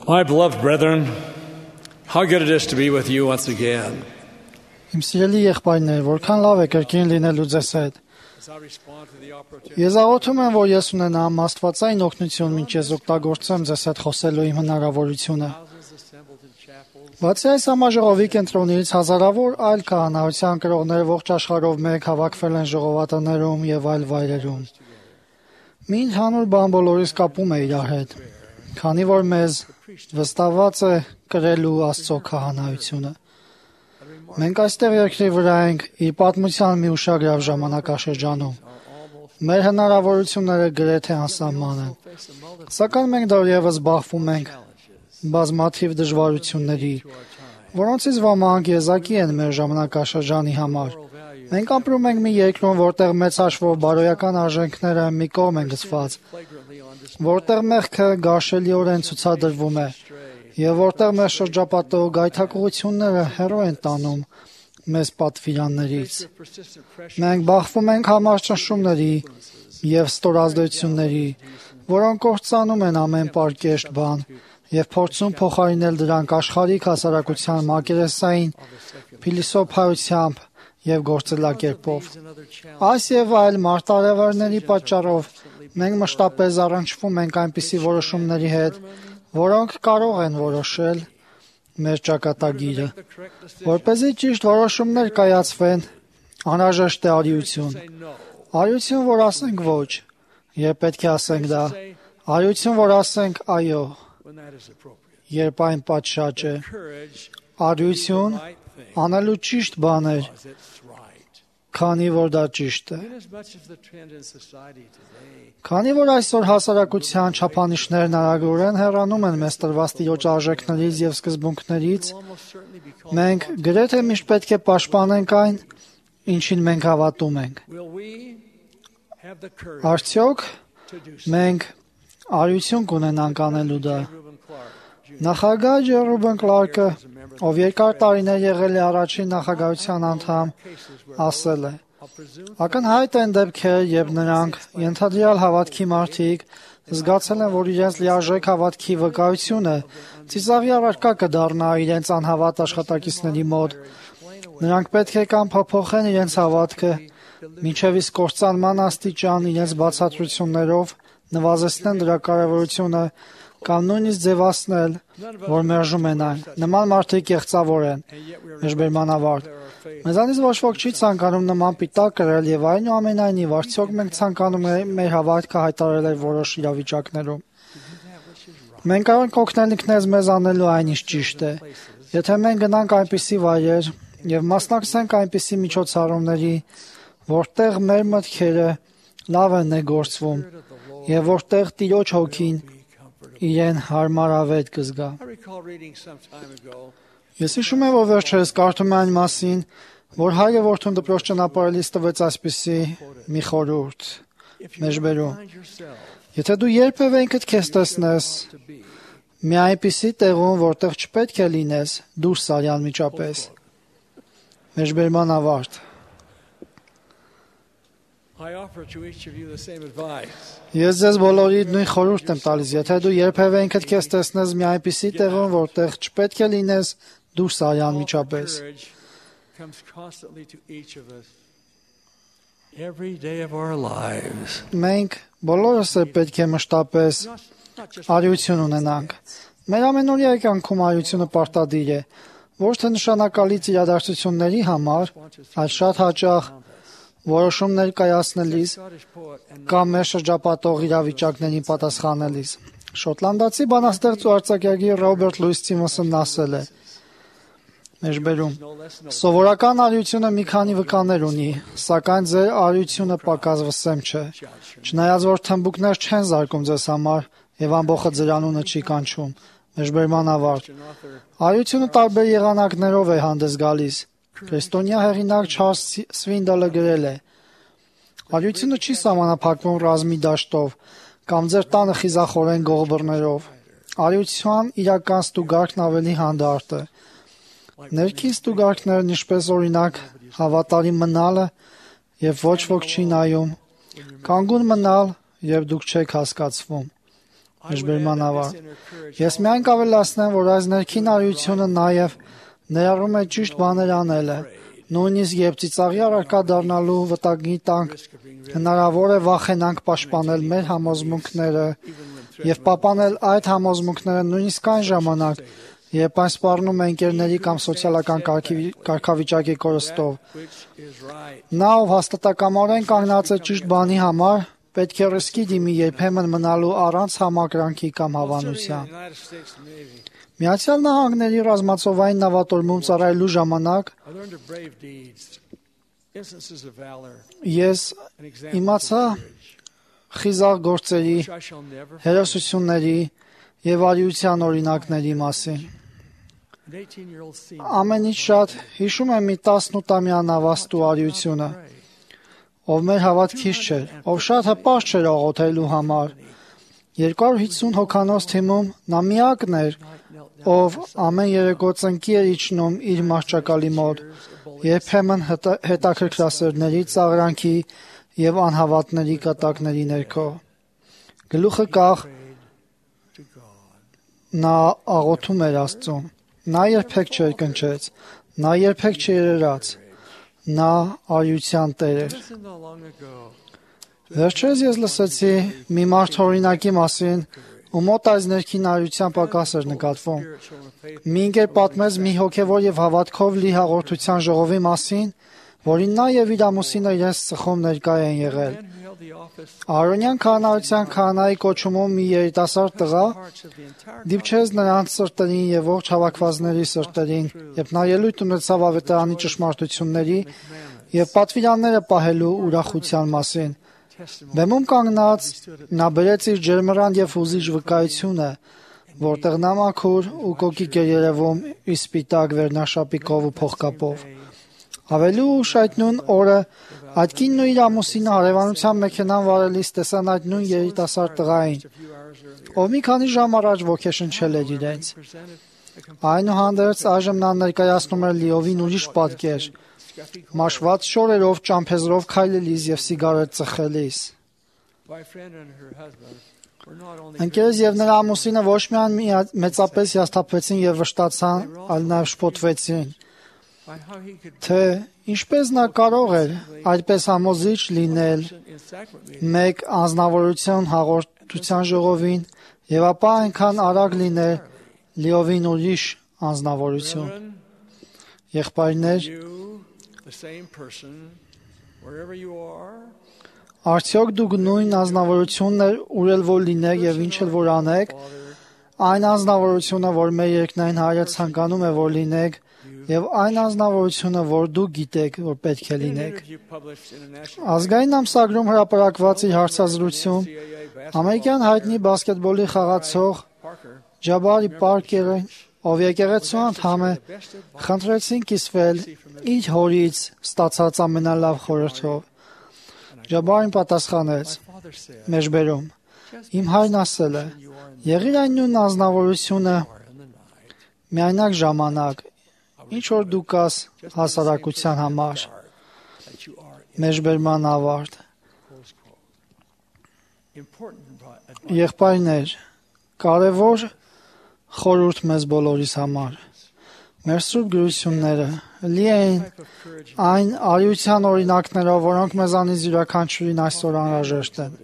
My beloved brethren, how good it is to be with you once again. Իմ սիրելի եղբայրներ, որքան լավ է կրկին լինելու ձեզ հետ։ Ես աղոթում եմ, որ ես ունենամ աստվածային օգնություն, մինչ ես օգտագործեմ ձեզ հետ խոսելու իմ հնարավորությունը։ Բացի այս համաժողովի կենտրոնից հազարավոր այլ քահանայության կրողներ ողջ աշխարհով մեկ հավաքվել են ժողովածուներում եւ այլ վայրերում։ Մի ընդհանուր բան բոլորիս կապում է իրար հետ, քանի որ մեզ վստահված է կրելու Աստծո քահանայությունը։ Մենք այստեղ երկրի վրա ենք իր պատմության մի ուշագրավ ժամանակաշրջանում։ Մեր հնարավորությունները գրեթե անսահման են, սակայն մենք դեռևս բախվում ենք բազմաթիվ դժվարությունների, որոնցից ոմանք եզակի են մեր ժամանակաշրջանի համար։ Մենք ապրում ենք մի երկրում, որտեղ մեծ հաշվով բարոյական արժեքները մի կողմ են գցված, որտեղ մեղքը գարշելիորեն ցուցադրվում է, եւ որտեղ մեր շրջապատող գայթակղությունները հեռու են տանում մեզ պատվիրաններից։ Մենք բախվում ենք համառ ճնշումների եւ ստորազդեցությունների, որոնք կործանում են ամեն պարկեշտ բան եւ փորձում փոխարինել դրանք աշխարհիկ հասարակության մակերեսային փիլիսոփայությամբ եւ գործելակերպով։ Այս եւ այլ մարտահրավերների պատճառով մենք մշտապես առնչվում ենք այնպիսի որոշումների հետ, որոնք կարող են որոշել մեր ճակատագիրը։ Որպեսզի ճիշտ որոշումներ կայացվեն, անհրաժեշտ է արիություն։ Արիություն, որ ասենք ոչ, երբ պետք է ասենք դա։ Արիություն, որ ասենք այո, երբ այն պատշաճ է։ Արիություն, անելու ճիշտ բաներ, քանի որ դա ճիշտ է։ Քանի որ այսօր հասարակության չափանիշներն արագորեն հեռանում են մեզ տրված տիրոջ արժեքներից եւ սկզբունքներից, մենք գրեթե միշտ պետք է պաշտպանենք այն, ինչին մենք հավատում ենք։ Արդյոք մենք արիություն կունենանք անելու դա։ Նախագահ Ջերոբեն Կլարկը, ով երկար տարիներ եղել է առաջին նախագահության անդամ, ասել է. ակնհայտ են դեպքեր, երբ նրանք ենթադրյալ հավատքի մարդիկ զգացել են, որ իրենց լիարժեք հավատքի վկայությունը ծիծաղի առարկա կդառնա իրենց անհավատ աշխատակիցների մոտ։ Նրանք պետք է կամ փոփոխեն իրենց հավատքը, մինչև իսկ կործանման աստիճան իրենց բացատրություններով նվազեցնեն դրա կարևորությունը, կամ նույնիսկ ձևացնել, որ մերժում են այն։ Նման մարդիկ կեղծավոր են, մեջբերման ավարտ։ Մեզանից ոչ ոք չի ցանկանում նման պիտակ կրել եւ այնուամենայնիվ արդյոք մենք ցանկանում ենք մեր հավատքը հայտարարել որոշ իրավիճակներում։ Մենք կարող ենք օգնել ինքներս մեզ անելու այն, ինչ ճիշտ է։ Եթե մենք գնանք այնպիսի վայրեր եւ մասնակցենք այնպիսի միջոցառումների, որտեղ մեր մտքերը լավ են ներգործվում եւ որտեղ Տիրոջ հոգին իրեն հարմարավետ կզգա։ Ես հիշում եմ, որ վերջերս կարդում եմ այն մասին, որ հայրը որդուն դպրոց ճանապարհելիս տվեց այսպիսի մի խորհուրդ. մեջբերում. Եթե դու երբևէ ինքդ քեզ տեսնես մի այնպիսի տեղում, որտեղ չպետք է լինես, դուրս արի անմիջապես։ Մեջբերման ավարտ։ Ես ձեզ բոլորիդ նույն խորհուրդն եմ տալիս, եթե դու երբևէ ինքդ քեզ տեսնես մի այնպիսի տեղում, որտեղ չպետք է լինես, դուրս արի անմիջապես։ Մենք բոլորս պետք է մշտապես արիություն ունենանք։ Մեր ամենօրյա կյանքում արիությունը պարտադիր է, ոչ թե նշանակալից իրադարձությունների համար, այլ շատ հաճախ որոշումներ կայացնելիս կամ մեր շրջապատող իրավիճակներին պատասխանելիս։ Շոտլանդացի բանաստեղծ ու արձակագիր Ռոբերտ Լուիս Սթիվենսոնն ասել է. մեջբերում. Սովորական արիությունը մի քանի վկաներ ունի, սակայն ձեր արիությունը պակաս վսեմ չէ։ Չնայած որ թմբուկներ չեն զարկում ձեզ համար եւ ամբողջը ձեր անունը չի կանչում։ Մեջբերման ավարտ։ Արիությունը տարբեր եղանակներով է հանդես գալիս։ Քրիստոնյա հեղինակ Չարլզ Սվինդելը գրել է. Արիությունը չի սահմանափակվում ռազմի դաշտով կամ ձեր տանը խիզախորեն գողբռներով։ Արիության իրական ստուգարքն ավելի հանդարտ է։ Ներքին ստուգարքներն ինչպես օրինակ հավատարիմ մնալը եւ ոչ ոք չի նայում, կանգուն մնալ եւ դուք չեք հասկացվում։ Մեջբերման ավարտ։ Ես միայն կավելացնեմ, որ այս ներքին արիությունը նաև ներառում է ճիշտ բաներ անելը, նույնիսկ երբ ծիծաղի առարկա դառնալու վտանգի տակ հնարավոր է վախենանք պաշտպանել մեր համոզմունքները եւ պահպանել այդ համոզմունքները նույնիսկ այն ժամանակ, երբ այն սպառնում է ընկերների կամ սոցիալական կարգավիճակի կորստով։ Նա, ով հաստատակամորեն կանգնած է ճիշտ բանի համար, պետք է ռիսկի դիմի երբեմն մնալու առանց համակրանքի կամ հավանության։ Միացյալ Նահանգների ռազմածովային նավատորմում ծառայելու ժամանակ ես իմացա խիզախ գործերի, հերոսությունների եւ արիության օրինակների մասին։ Ամենից շատ հիշում եմ մի 18-ամյա նավաստու արիությունը, ով մեր հավատքից չէր, ով շատ հպարտ չէր աղոթելու համար։ 250 հոգանոց թիմում նա միակն էր, ով ամեն երեկո ծնկի էր իջնում իր մահճակալի մոտ, երբեմն հետաքրքրասերների ծաղրանքի եւ անհավատների կատակների ներքո։ Գլուխը կախ նա աղոթում էր Աստծուն։ Նա երբեք չերկնչեց, նա երբեք չերերաց։ Նա արիության տեր էր։ Վերջերս ես լսեցի մի մարդ օրինակի մասին, ու մոտ այս ներքին արիության պակաս էր նկատվում։ Մի ընկեր պատմեց մի հոգևոր եւ հավատքով լի հաղորդության ժողովի մասին, որին նա եւ իր ամուսինը իրենց ծխում ներկա են եղել։ Արոնյան քահանայության քահանայի կոչումով մի երիտասարդ տղա դիպչեց նրանց սրտերին եւ ողջ հավաքվածների սրտերին, երբ նա ելույթ ունեցավ ավետարանի ճշմարտությունների եւ պատվիրանները պահելու ուրախության մասին։ Բեմում կանգնած նա բերեց իր ջերմռան եւ հուզիչ վկայությունը, որտեղ նա մաքուր ու կոկիկ էր երևում իր սպիտակ վերնաշապիկով ու փողկապով։ Ավելի ուշ այդ նույն օրը այդ կինն ու իր ամուսինը հարևանության մեքենան վարելիս տեսան այդ նույն երիտասարդ տղային, ով մի քանի ժամ առաջ ոգեշնչել էր իրենց։ Այնուհանդերձ այժմ նա ներկայացնում էր լիովին ուրիշ պատկեր, մաշված շորերով, ճամփեզրով քայլելիս եւ սիգարետ ծխելիս։ Ընկերս եւ նրա ամուսինը ոչ միայն մեծապես հիասթափվեցին եւ վշտացան, այլ նաեւ շփոթվեցին, թե ինչպես նա կարող էր այդպես համոզիչ լինել մեկ անձնավորություն հաղորդության ժողովին եւ ապա այնքան արագ լինել լիովին ուրիշ անձնավորություն։ Եղբայրներ, արդյոք դուք նույն անձնավորությունն ուր էլ որ լինեք եւ ինչ էլ որ անեք, այն անձնավորությունը, որ մեր երկնային Հայրը ցանկանում է որ լինեք, եւ այն անձնավորությունը, որ դուք գիտեք, որ պետք է լինեք։ Ազգային ամսագրում հրապարակված իր հարցազրույցում ամերիկյան հայտնի բասկետբոլի խաղացող Ջաբարի Պարկերը, ով եկեղեցու անդամ է, խնդրեցին կիսվել իր հորից ստացած ամենալավ խորհրդով։ Ջաբարին պատասխանեց. մեջբերում, իմ հայրն ասել է, եղիր այն նույն անձնավորությունը միայնակ ժամանակ, ինչ որ դու կաս հասարակության համար։ Մեջբերման ավարտ։ Եղբայրներ, կարևոր խորհուրդ մեզ բոլորիս համար։ Մեր սուրբ գրությունները լի են այն արիության օրինակներով, որոնք մեզանից յուրաքանչյուրին այսօր անհրաժեշտ են։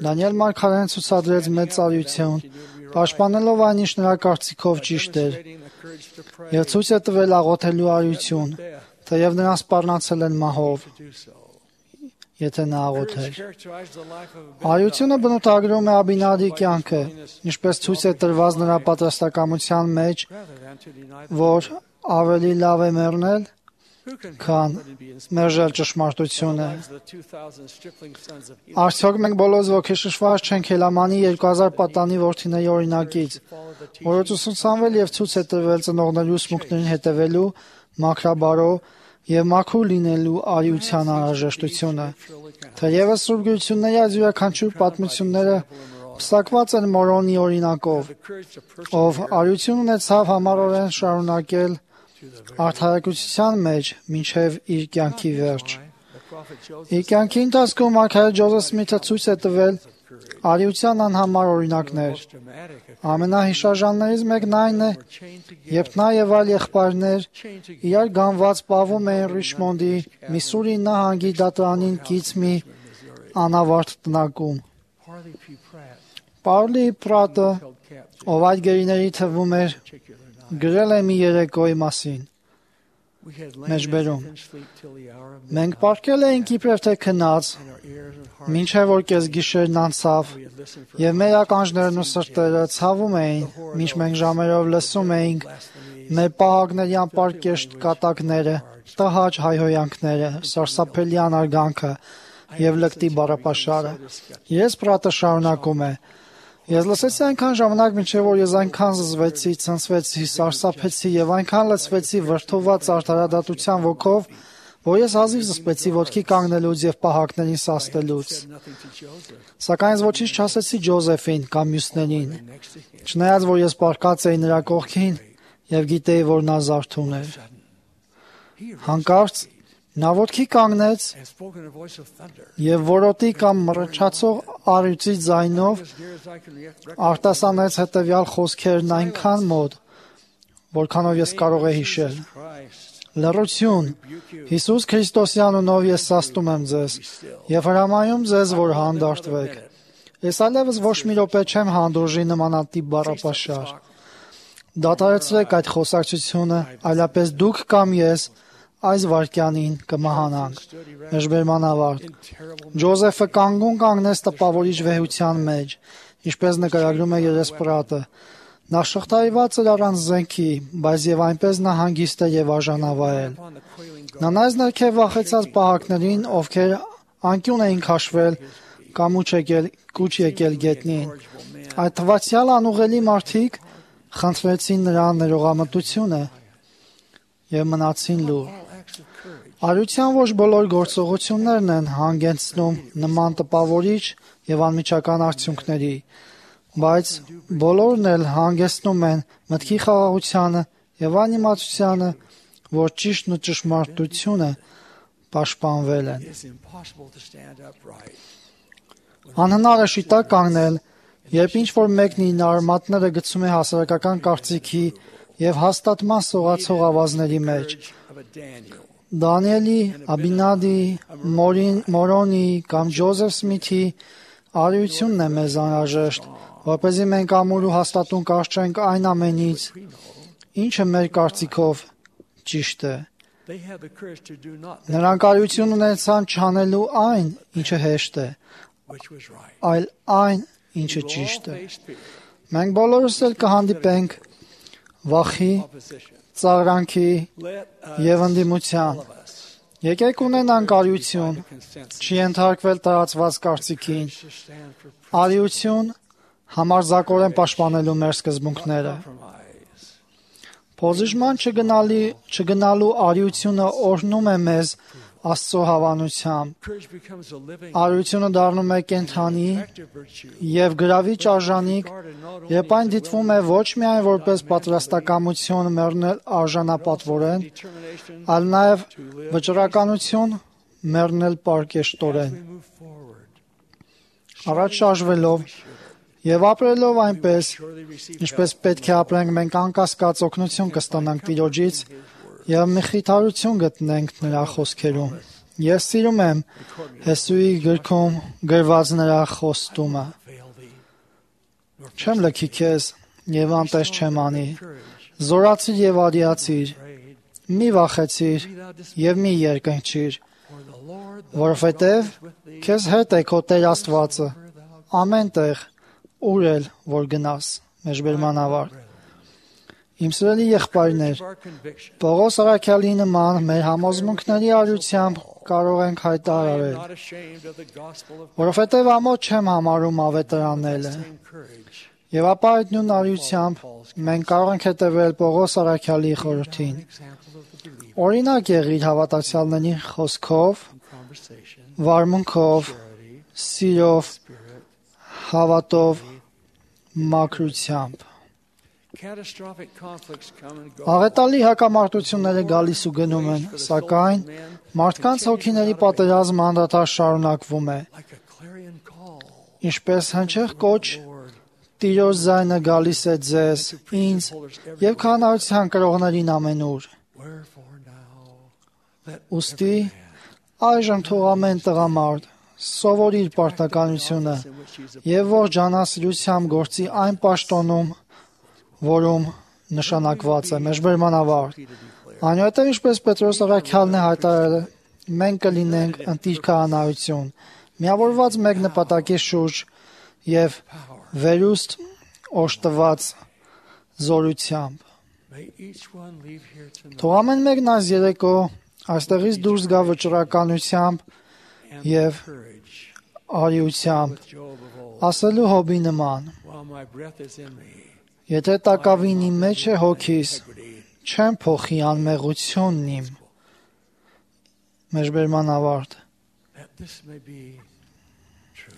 Դանիել մարգարեն ցուցադրեց մեծ արիություն, պաշտպանելով այն, ինչ նրա կարծիքով ճիշտ էր, եւ ցույց է տվել աղոթելու արիություն, թեև նրան սպառնացել են մահով, եթե նա աղոթեր։ Արիությունը բնութագրում է Աբինադի կյանքը, ինչպես ցույց է տրված նրա պատրաստակամության մեջ, որ ավելի լավ է մեռնել, քան մերժել ճշմարտությունը։ Արդյոք մենք բոլորս ոգեշնչված չենք Հելամանի 2000 պատանի որդիների օրինակից, որը ուսուցանվել եւ ցույց է տրվել ծնողների ուսմունքներին հետևելու, մաքրաբարո եւ մաքուր լինելու արիության անհրաժեշտությունը։ Թեևս Սուրբ Գրությունների այս յուրաքանչյուր պատմությունները պսակված են Մորոնի օրինակով, ով արիություն ունեցավ համառորեն շարունակել արդարակցության մեջ մինչև իր կյանքի վերջ։ Իր կյանքի ընթացքում մարգարե Ջոզեֆ Սմիթը ցույց է տվել, արիության անհամար օրինակներ։ Ամենահիշաժաններից մեկն այն է, երբ նա եւ այլ եղբայրներ իրար գանված պահվում էին Ռիչմոնդի Միսսուրի նահանգի դատարանին կից մի անավարտ տնակում։ Պարլի Պրատը, ով այդ գերիների թվում էր, գրել է մի երեկոյի մասին։ Մեջբերում։ Մենք պառկել էինք իբրև թե քնած, մինչև որ կեսգիշերն անցավ, եւ մեր ականջներն ու սրտերը ցավում էին, մինչ մենք ժամերով լսում էինք մեր պահակների անպարկեշտ կատակները, տհաճ հայհոյանքները, սարսափելի անարգանքը եւ լկտի բառապաշարը։ Ես Պրատը շարունակում է. Ես լսեցի այնքան ժամանակ, մինչև որ ես այնքան զզվեցի, ցնցվեցի, սարսափեցի եւ այնքան լցվեցի վրդոված արդարադատության ոգով, որ ես հազիվ զսպեցի ոտքի կանգնելուց եւ պահակներին սաստելուց։ Սակայն ես ոչինչ չասեցի Ջոզեֆին կամ մյուսներին, չնայած որ ես պառկած էի նրա կողքին եւ գիտեի, որ նա զարթուն էր։ Հանկարծ նա ոտքի կանգնեց եւ որոտի կամ մռնչացող առյուծի ձայնով արտասանեց հետեւյալ խոսքերն այնքան մոտ, որքանով ես կարող եմ հիշել. Լռություն, Հիսուս Քրիստոսի անունով ես սաստում եմ ձեզ եւ հրամայում ձեզ, որ հանդարտվեք։ Ես այլևս ոչ մի րոպե չեմ հանդուրժի նմանատիպ բառապաշար։ Դադարեցրեք այդ խոսակցությունը, այլապես դուք կամ ես այս վայրկյանին կմահանանք։ Մեջբերման ավարտ։ Ջոզեֆը կանգուն կանգնեց տպավորիչ վեհության մեջ, ինչպես նկարագրում է Երեսպրատը։ Նա շղթայված էր առանց զենքի, բայց եւ այնպես նա հանգիստ էր եւ արժանավայել։ Նա նայեց ներքև վախեցած պահակներին, ովքեր անկյուն էին քաշվել կամ կուչ եկել գետնին։ Այդ թվացյալ անուղելի մարդիկ խնդրեցին նրա ներողամտությունը եւ մնացին լուռ։ Արիության ոչ բոլոր գործողություններն են հանգեցնում նման տպավորիչ եւ անմիջական արդյունքների, բայց բոլորն էլ հանգեցնում են մտքի խաղաղությանը եւ անիմացությանը, որ ճիշտն ու ճշմարտությունը պաշտպանվել են։ Անհնար է շիտակ կանգնել, երբ ինչ-որ մեկն իր արմատները գցում է հասարակական կարծիքի եւ հաստատման սողացող ավազների մեջ։ Դանիելի, Աբինադի, Մորոնի կամ Ջոզեֆ Սմիթի արիությունն է մեզ անհրաժեշտ, որպեսզի մենք ամուր ու հաստատուն կարճենք այն ամենից, ինչը մեր կարծիքով ճիշտ է։ Նրանք արիություն ունեցան չանելու այն, ինչը հեշտ է, այլ այն, ինչը ճիշտ է։ Մենք բոլորս էլ կհանդիպենք վախի, ծաղրանքի եւ ընդդիմության։ Եկեք ունենանք արիություն, չենթարկվել տարածված կարծիքին, արիություն համարձակորեն պաշտպանելու մեր սկզբունքները։ Փոզիժման չգնալու արիությունը օրհնում է մեզ Աստծո հավանությամբ։ Արիությունը դառնում է կենդանի եւ գրավիչ արժանիք, երբ այն դիտվում է ոչ միայն որպես պատրաստակամություն մեռնել արժանապատվորեն, այլ նաեւ վճռականություն մեռնել պարկեշտորեն։ Առաջ շարժվելով եւ ապրելով այնպես, ինչպես պետք է ապրենք, մենք անկասկած օգնություն կստանանք Տիրոջից եւ մխիթարություն գտնենք նրա խոսքերում։ Ես սիրում եմ Հեսուի գրքում գրված նրա խոստումը. Չեմ լքի քեզ եւ անտես չեմ անի։ Զորացիր եւ արիացիր, մի վախեցիր եւ մի երկնչիր, որովհետեւ քեզ հետ է քո Տեր Աստվածը ամեն տեղ, ուր էլ որ գնաս։ Մեջբերման ավարտ։ Իմ սիրելի եղբայրներ, Պողոս առաքյալի նման մեր համոզմունքների արիությամբ կարող ենք հայտարարել, որովհետև ամոթ չեմ համարում ավետարանելը։ Եվ ապա այդ նույն արիությամբ մենք կարող ենք հետևել Պողոս առաքյալի խորհրդին։ Օրինակ եղիր հավատացյալների խոսքով, վարմունքով, սիրով, հավատով, մաքրությամբ։ Աղետալի հակամարտությունները գալիս ու գնում են, սակայն մարդկանց հոգիների պատերազմը անդադար շարունակվում է։ Ինչպես հնչեղ կոչ, Տիրոջ ձայնը գալիս է ձեզ, ինձ եւ քահանայության կրողներին ամենուր։ Ուստի այժմ թող ամեն տղամարդ սովորիր պարտականությունը եւ ողջ անասիրությամբ գործի այն պաշտոնում, որում նշանակված է մեջբերմանավարտ։ Այնուհետև ինչպես Պետրոս առաքյալն է հայտարարել, մենք կլինենք ընտիր քահանայություն, միավորված մեկ նպատակի շուրջ եւ վերուստ օժտված զորությամբ։ Թող ամեն մեկն այս երեկո այստեղից դուրս գա վճռականությամբ եւ արիությամբ, ասելու Հոբի նման. Եթե տակավին իմ մեջ է հոգիս, չեմ փոխի անմեղությունն իմ։ Մեջբերմանավարտ։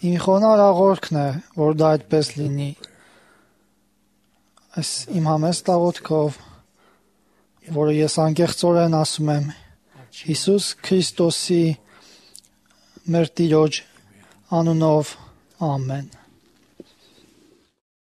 Իմ խոնար աղոթքն է, որ դա այդպես լինի։ Այս իմ համեստ աղոթքով, որը ես անկեղծորեն ասում եմ Հիսուս Քրիստոսի մեր Տիրոջ անունով, ամեն։